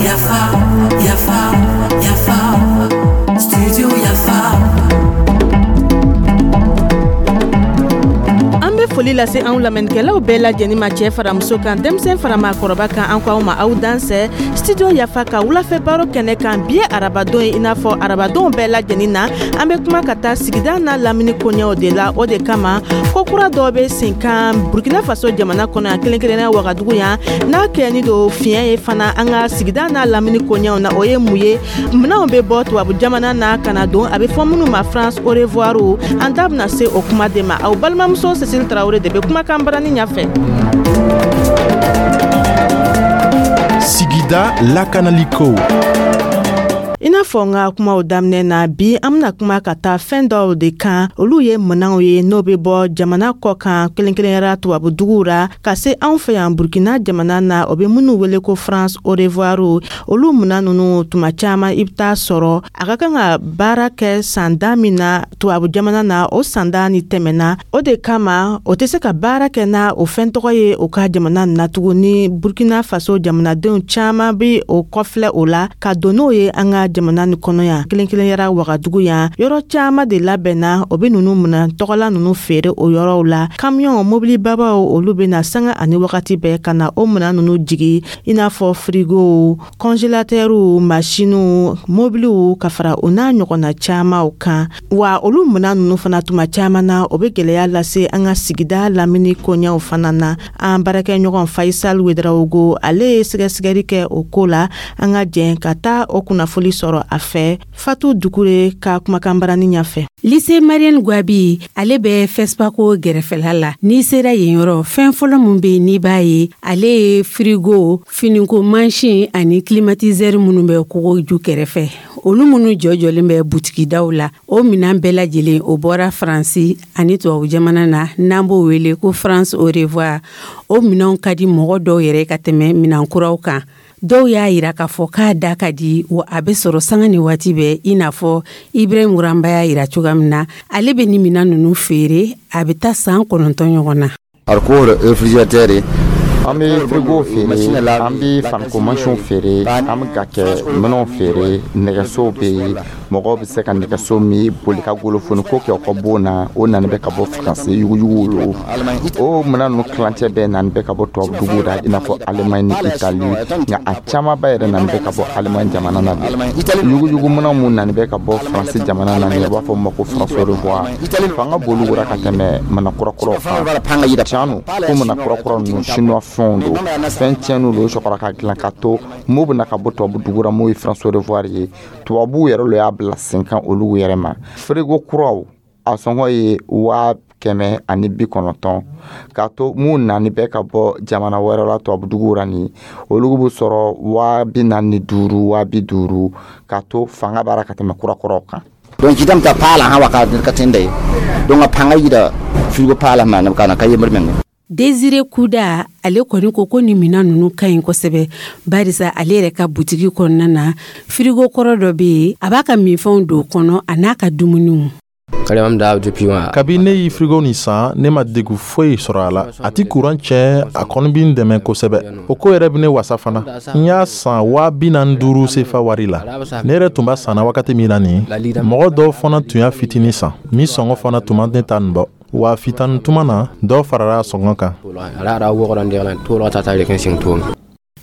Yafa, Yafa, Yafa, Studio Yafa. An bɛ foli lase anw lamɛnnikɛlaw bɛɛ lajɛlen ma, cɛ fara muso kan, denmisɛn fara maakɔrɔba kan. An ko aw ma aw dansɛ Studio Yafa ka wulafɛ baro kɛnɛ kan. Bi ye arabadon ye. I n'a fɔ arabadonw bɛɛ lajɛlen na, an bɛ kuma ka taa sigida n'a lamini koɲɛw de la. O de kama, ko kura dɔw bɛ sen kan Burkina Faso jamana kɔnɔ yan, kelen kelenna Wagadugu yan, n'a kɛni don fiɲɛ ye fana an ka sigida n'a lamini koɲɛw na. O ye mun ye? Minɛnw bɛ bɔ tubabu jamana na ka na don, a bɛ fɔ minnu ma France au revoir. An da bɛna se o kuma de ma. Aw balimamuso Cécile Traoré de bɛ kumakan barani ɲɛfɛ. Sigida lakanaliko. I n'a fɔ n ka kumaw daminɛ na, bi an bena kuma ka taa fɛn dɔw de kan. Olu ye minɛnw ye n'o be bɔ jamana kɔ kan, kelen kelenyara tubabu duguw ra, ka se anw fɛ yan Burkina jamana na. O be minnu wele ko France au revoir. Olu minan nunu, tuma caaman i be taa sɔrɔ a ka kan ka baara kɛ sanda min na tubabu jamana na, o sanda ni tɛmɛna. O de kama o tɛ se ka baara kɛ na o fɛn tɔgɔ ye o ka jamana na tuguni. Burkina Faso jamanadenw caaman be o kɔfilɛ o la ka don n'o ye an ka jamana ni kɔnɔ yan, kelen kelen yɛrɛ Wagadugu yan. Yɔrɔ caman de labɛnna, o be nunu minɛ tɔgɔla nunu feere o yɔrɔw la. Kamiyɔn mobilibabaw, olu be na sanga ani wagati bɛɛ ka na o minɛn nunu jigi, i n'a fɔ firigow, kɔnjelatɛriw, masiniw, mobiliw, ka fara o n'a ɲɔgɔnna camanw kan. Wa olu minɛn nunu fana, tuma caman na, o be gwɛlɛya lase an ka sigida lamini koɲɛw fana na. An baarakɛɲɔgɔn Faisal Wedraogo, ale ye sɛgɛsɛgɛli kɛ o ko la. An ka jɛn ka taa o kunnafoli sɔrɔ a fɛ Fatu Dukure ka kumakan barani ɲɛfɛ. Lycée Marianne Gwabi, ale bɛ Fɛsipako gɛrɛfɛla la. N'i sera yen yɔrɔ, fɛn fɔlɔ min bɛ yen n'i b'a ye, ale ye firigo, finiko mansin ani climatiseur minnu bɛ kogo ju kɛrɛfɛ, olu minnu jɔjɔlen bɛ butikidaw la. O minɛn bɛɛ lajɛlen, o bɔra Faransi ani tubabu jamana na, n'an b'o wele ko France au revoir. O minɛnw ka di mɔgɔ dɔw yɛrɛ ka tɛmɛ minɛn kuraw kan. Dɔw y'a yira k'a fɔ k'a da ka di, wa a bɛ sɔrɔ sanga ni waati bɛɛ, i n'a fɔ Ibrahim Wuranba y'a yira cogoya min na. Ale bɛ nin minɛn ninnu feere, a bɛ taa san 9 ɲɔgɔn na. An bɛ frigo feere, an bɛ faniko mansinw feere, an bɛ ka kɛ minɛnw feere. Nɛgɛsow bɛ yen, mɔgɔw bɛ se ka nɛgɛso min boli ka golofoni ko kɛ u ka bon na. O nani bɛ ka bɔ Faransi, yuguyugu lo. O minɛn ninnu tilancɛ bɛɛ nani bɛ ka bɔ tubabu duguw la, i n'a fɔ Allemagne ni Italie, nka a camanba yɛrɛ nani bɛ ka bɔ Allemagne jamana na de. Yuguyugu minɛn mun nani bɛ ka bɔ Faransi jamana na, u b'a fɔ ma ko France au revoir. Fanga b'olu ra ka tɛmɛ minɛn kurakuraw kan. Tiɲɛ don ko minɛn kurakura ninnu, chinois fɛnw don, fɛn tiɲɛniw don, sɔrɔ ka dilan ka to mun bɛna ka bɔ tubabu dugu la, mun ye France au revoir ye. Tubabuw yɛrɛ lo y'a bila sen kan olu yɛrɛ ma. Frigo kuraw, a sɔngɔ ye 190,000, k'a to mun nani bɛ ka bɔ jamana wɛrɛ la, tubabu duguw la nin, olu bɛ sɔrɔ 45,000, 50,000, k'a to fanga b'a la ka tɛmɛ kurakuraw kan. Donc jidam ta paala ha waka ka tende donc a panga yida frigo paala ma na kana ka yemr men. Désiré Kuda, ale kɔni ko ko nin minɛn ninnu ka ɲi kosɛbɛ, barisa ale yɛrɛ ka butigi kɔnɔna na, firigo kɔrɔ dɔ bɛ yen, a b'a ka minfɛnw don o kɔnɔ a n'a ka dumuniw. Kabi ne ye firigo nin san, ne ma degun foyi sɔrɔ a la. A ti kuran tiɲɛ, a kɔni bɛ n dɛmɛ kosɛbɛ. O ko yɛrɛ bɛ ne wasa fana. N y'a san 45,000 sefa wari la. Ne yɛrɛ tun b'a sanna wagati min na nin, mɔgɔ dɔw fana tun y'a fitinin san min sɔngɔ fana tun ma ne ta nin bɔ. Wa fitani tuma na, dɔ farala a sɔngɔ kan.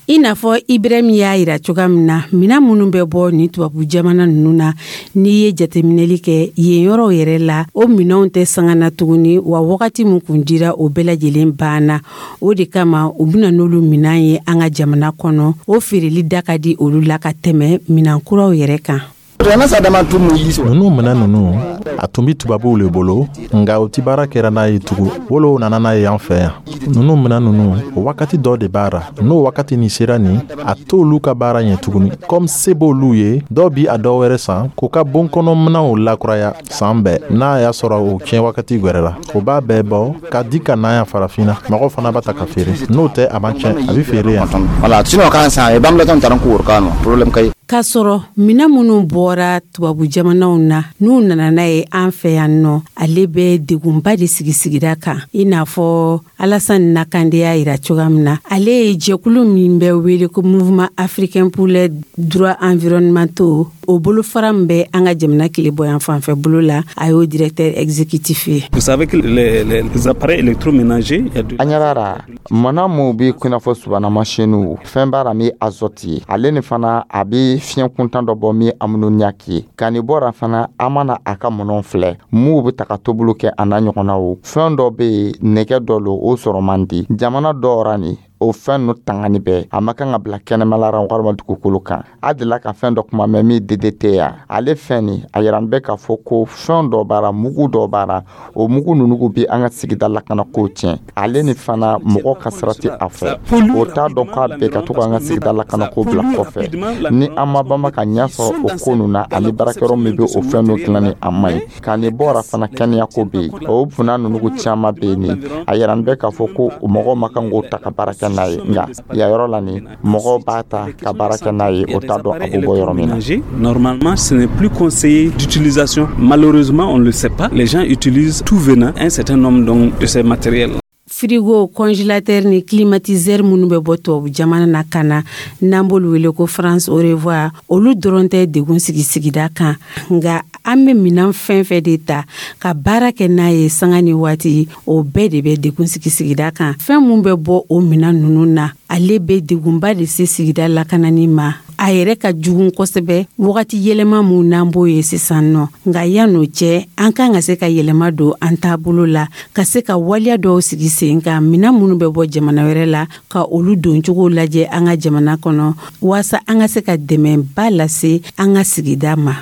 I n'a fɔ Ibrahim y'a yira cogoya min na, minɛn minnu bɛ bɔ nin tubabu jamana ninnu na, n'i ye jateminɛli kɛ yen yɔrɔw yɛrɛ la, o minɛnw tɛ sanga na tuguni, wa wagati min kun dira, o bɛɛ lajɛlen banna. O de kama u bɛna n'olu minɛn ye an ka jamana kɔnɔ. O feereli da ka di olu la ka tɛmɛ minɛn kuraw yɛrɛ kan. Ninnu minɛn ninnu, a tun bɛ tubabuw le bolo, nka u ti baara kɛra n'a ye tugun. Wolo nana n'a ye an fɛ yan. Ninnu minɛn ninnu, o wagati dɔ de b'a ra. N'o wagati nin sera nin, a t'olu ka baara ɲɛ tuguni. Comme se b'olu ye, dɔw bi a dɔw wɛrɛ san k'u ka bon kɔnɔ minɛnw lakuraya san bɛɛ. N'a y'a sɔrɔ o tiɲɛ wagati gwɛrɛ la, o b'a bɛɛ bɔ ka di ka na yan farafinna. Mɔgɔw fana b'a ta ka feere. N'o tɛ, a man tiɲɛ, a bɛ feere yan. Voilà, sinon kan san e bam la tan taran ko kan problème kay. K'a sɔrɔ minɛn minnu bɔra tubabu jamanaw na, n'u nana n'a ye an fɛ yan nɔ, ale bɛ degunba de sigi sigida kan. I n'a fɔ Alassane Nakande y'a yira cogoya min na, ale ye jɛkulu min bɛ wele ko Mouvement africain pour les droits environnementaux, o bolofara min bɛ an ka jamana tilebɔyan fanfɛ bolo la, a y'o directeur exécutif ye. Vous savez que les appareils électroménagers, il y a de An ɲɛ b'a la mana mun bi i n'a fɔ subahana masiniw, fɛn b'a la min azote ye, ale ni fana a bi fiɲɛ kuntan dɔ bɔ min ammoniac ye. Ka nin bɔra fana, an mana a ka minɛnw filɛ m'u bɛ taga tobili kɛ, a n'a ɲɔgɔnnaw, fɛn dɔ bɛ yen, nɛgɛ dɔ lo, o sɔrɔ man di jamana dɔw ra. Nin o fɛn ninnu tangani bɛɛ, a ma kan ka bila kɛnɛmala ra walima dugukolo kan. A delila ka fɛn dɔ kuma mɛn min DDT ya, ale fɛn nin a yira bɛ k'a fɔ ko fɛn dɔ b'a la, mugu dɔ b'a la. O mugu ninnu bi an ka sigida lakana ko tiɲɛ. Ale ni fana mɔgɔ ka sira tɛ a fɛ, o t'a dɔn k'a bɛɛ ka to k'an ka sigida lakana ko bila kɔfɛ. Ni an ma banba ka ɲɛ sɔrɔ o ko ninnu na, ani baarakɛyɔrɔ min bɛ o fɛn ninnu dilanni, a man ɲi. Ka nin bɔra fana, kɛnɛya ko bɛ yen. O funa ninnu caman bɛ yen, nin a yira bɛ k'a fɔ ko mɔgɔw ma kan k'o ta ka baara kɛ n'a ye, nka yan yɔrɔ la nin, mɔgɔw b'a ta ka baara kɛ n'a ye, o t'a dɔn a bɛ bɔ yɔrɔ min na. Normalement, ce n'est plus conseillé d'utilisation. Malheureusement, on ne le sait pas. Les gens utilisent tout venant un certain nombre donc de ces matériels. Frigo, congélateur ni climatiseur minnu bɛ bɔ tubabu jamana na ka na, n'an b'olu wele ko France au revoir, olu dɔrɔn tɛ degun sigi sigida kan, nka an bɛ minan fɛn fɛn de ta ka baara kɛ n'a ye sanga ni waati, o bɛɛ de bɛ degun sigi sigida kan. Fɛn mun bɛ bɔ o minan ninnu na, ale bɛ degunba de se sigida lakanani ma. A yɛrɛ ka jugun kosɛbɛ wagati yɛlɛma mun n'an b'o ye sisan nɔ. Nka yan'o cɛ, an kan ka se ka yɛlɛma don an taabolo la, ka se ka waleya dɔw sigi sen kan, minan minnu bɛ bɔ jamana wɛrɛ la, ka olu doncogo lajɛ an ka jamana kɔnɔ, waasa an ka se ka dɛmɛba lase an ka sigida ma.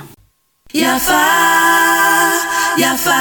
Yafa, Yafa,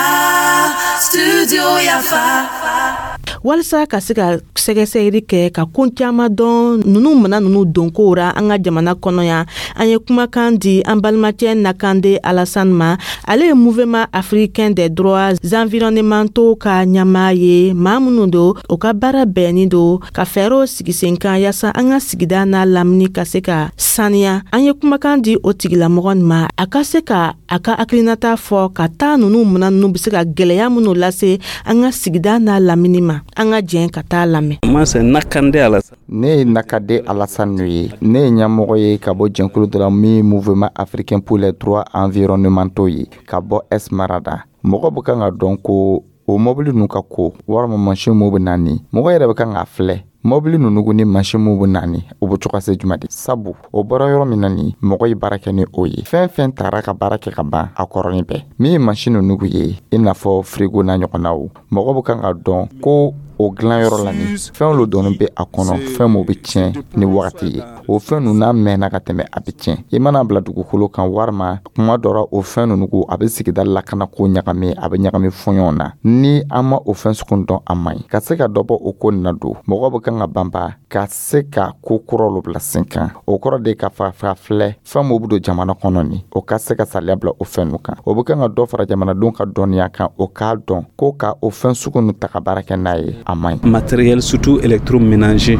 Studio Yafa. Walasa ka se ka sɛgɛsɛgɛli kɛ ka ko caman dɔn nunu mana nunu donkow ra an ka jamana kɔnɔ yan, an ye kumakan di an balimacɛ Nakande Alassane ma. Ale ye Mouvement africain des droits environnementaux ka ɲamaa ye. Maa minnu don, o ka baara bɛnni don ka fɛɛrɛw sigi sen kan yaasa an ka sigida n'a lamini ka se ka saniya. An ye kumakan di o tigilamɔgɔ nin ma, a ka se ka a ka hakilinata fɔ ka taa nunu mana nunu be se ka gwɛlɛya minnu lase an ka sigida n'a lamini ma. An ka jɛn ka taa lamɛn. Moi, c'est Nakande Alassane. Ne ye Nakade Alassane ye. Ne ye ɲɛmɔgɔ ye ka bɔ jɛnkulu dɔ la min Mouvement africain pour les droits environnementaux ye, ka bɔ Esmarada. Mɔgɔ bɛ kan ka dɔn ko o mɔbili ninnu ka ko walima mansin mun bɛ na ni mɔgɔ yɛrɛ bɛ kan k'a filɛ, mɔbili ninnu ni mansin mun bɛ na ni, o bɛ cogo se jumɛn de? Sabu o bɔra yɔrɔ min na ni mɔgɔ ye baara kɛ ni o ye, fɛn fɛn taara ka baara kɛ ka ban, a kɔrɔnin bɛɛ min ye mansin ninnu ye, i n'a fɔ frigo n'a ɲɔgɔnnaw, mɔgɔ bɛ kan ka dɔn ko o dilanyɔrɔ la ni fɛn lo dɔɔni bɛ a kɔnɔ, fɛn mun bɛ tiɲɛ ni wagati ye. O fɛn ninnu n'a mɛnna ka tɛmɛ, a bɛ tiɲɛ. I mana bila dugukolo kan walima kuma dɔ la, o fɛn ninnu ko a bɛ sigida lakana ko ɲagami, a bɛ ɲagami fɔɲɔgɔn na. Ni an ma o fɛn sugu dɔn, a man ɲi ka se ka dɔ bɔ o ko nin na don. Mɔgɔ bɛ kan ka banba ka se ka ko kuraw bila sen kan. O kɔrɔ de ka fa filɛ fɛn mun bɛ don jamana kɔnɔ nin, o ka se ka saliya bila o fɛn ninnu kan. O bɛ kan ka dɔ fara jamanadenw ka dɔnniya kan, o k'a dɔn ko ka o fɛn sugu ninnu ta ka baara kɛ n'a ye, a man ɲi. Matériel surtout électroménager.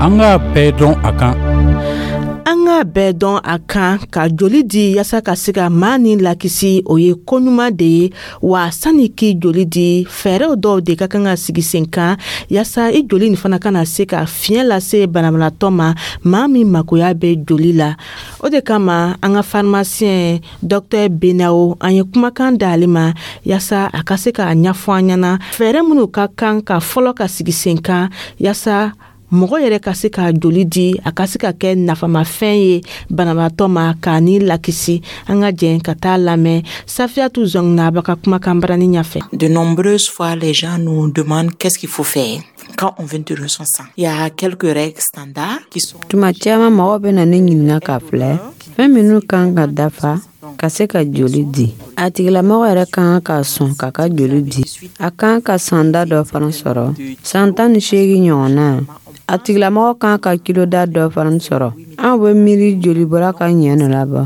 An k'a bɛɛ dɔn a kan. An k'a bɛɛ dɔn a kan, ka joli di yaasa ka se ka maa ni lakisi, o ye koɲuman de ye. Wa sani k'i joli di, fɛɛrɛw dɔw de ka kan ka sigi sen kan yaasa i joli nin fana kana se ka fiɲɛ lase banabagatɔ ma, maa min makoya bɛ joli la. O de kama an ka pharmacien docteur Benawo, an ye kumakan d'ale ma yaasa a ka se k'a ɲɛfɔ an ɲɛna fɛɛrɛ minnu ka kan ka fɔlɔ ka sigi sen kan yaasa mɔgɔ yɛrɛ ka se ka joli di, a ka se ka kɛ nafamafɛn ye banabaatɔ ma k'a ni lakisi. An ka jɛn ka taa lamɛn Safiyatu Zɔnginaba ka kumakan barani ɲɛfɛ. De nombreuses fois, les gens nous demandent qu'est-ce qu'il faut faire quand on veut donner son sang. Il y a quelques règles standards qui sont. Tuma caman mɔgɔw bɛ na ne ɲininka k'a filɛ fɛn minnu kan ka dafa ka se ka joli di. A tigilamɔgɔ yɛrɛ kan ka sɔn k'a ka joli di. A kan ka sanda dɔ fana sɔrɔ, san 18 ɲɔgɔnna. A tigilamɔgɔ kan ka kiloda dɔ fana sɔrɔ. Anw bɛ miiri joli bɔra ka ɲɛ nɔ labɔ.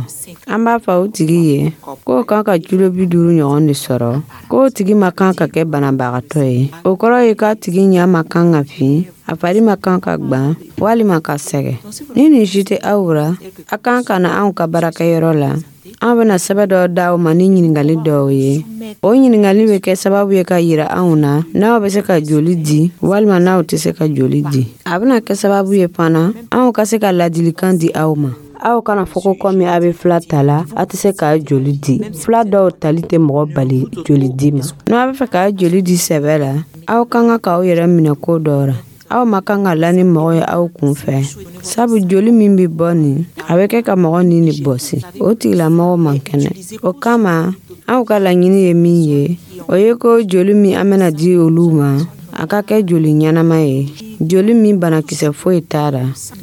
An b'a fɔ o tigi ye k'o kan ka kilo 50 ɲɔgɔn de sɔrɔ, k'o tigi ma kan ka kɛ banabagatɔ ye. O kɔrɔ ye k'a tigi ɲɛ ma kan ka fin, a fari ma kan ka gwan walima ka sɛgɛn. Ni nin si tɛ aw ra, a kan ka na anw ka baarakɛyɔrɔ la. An bɛna sɛbɛn dɔ d'aw ma ni ɲininkali dɔw ye. O ɲininkali bɛ kɛ sababu ye ka yira anw na n'aw bɛ se ka joli di walima n'aw tɛ se ka joli di. A bɛna kɛ sababu ye fana anw ka se ka ladilikan di aw ma. Aw kana fɔ ko komi a bɛ fila ta la, a tɛ se k'a joli di. Fila dɔw tali tɛ mɔgɔ bali joli di ma. N'aw bɛ fɛ k'a joli di sɛbɛ la, aw ka kan k'aw yɛrɛ minɛ ko dɔ ra. Aw ma kan ka la ni mɔgɔ ye aw kun fɛ, sabu joli min bɛ bɔ nin, a bɛ kɛ ka mɔgɔ ni de bɔsi, o tigilamɔgɔ man kɛnɛ. O kama anw ka laɲini ye min ye, o ye ko joli min an bɛna di olu ma, a ka kɛ joli ɲɛnama ye, joli min banakisɛ foyi t'a la.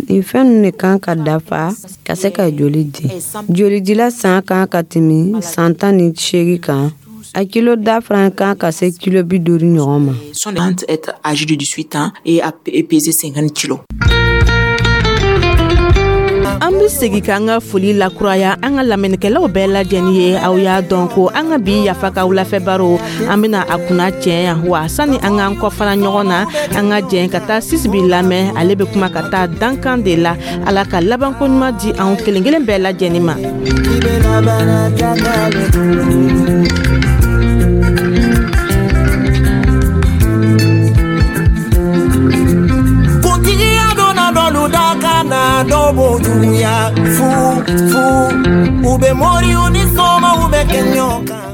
Nin fɛn ninnu de kan ka dafa ka se ka joli di. Jolidila san kan ka tɛmɛ san 18 kan. A kilo da fana kan ka se kilo 50 ɲɔgɔn ma. Sont être âgés de 18 ans et à peser 50 kilos. An be segi k'an ka foli lakuraya an ka lamɛnnikɛlaw bɛɛ lajɛni ye. Aw y'a dɔn ko an ka bi Yafa ka wulafɛ baro, an bena a kunna tiɲɛ yan wa. Sani an k'an kɔfara ɲɔgɔn na, an ka jɛn ka taa Sisibi lamɛn. Ale be kuma ka taa dankan de la. Ala ka labanko ɲuman di anw kelen kelen bɛɛ lajɛni ma. Kuntigiya donna dɔlu da ka na, dɔw b'o juguya fu fu, u bɛ moriw ni somaw bɛ kɛ ɲɔgɔn kan.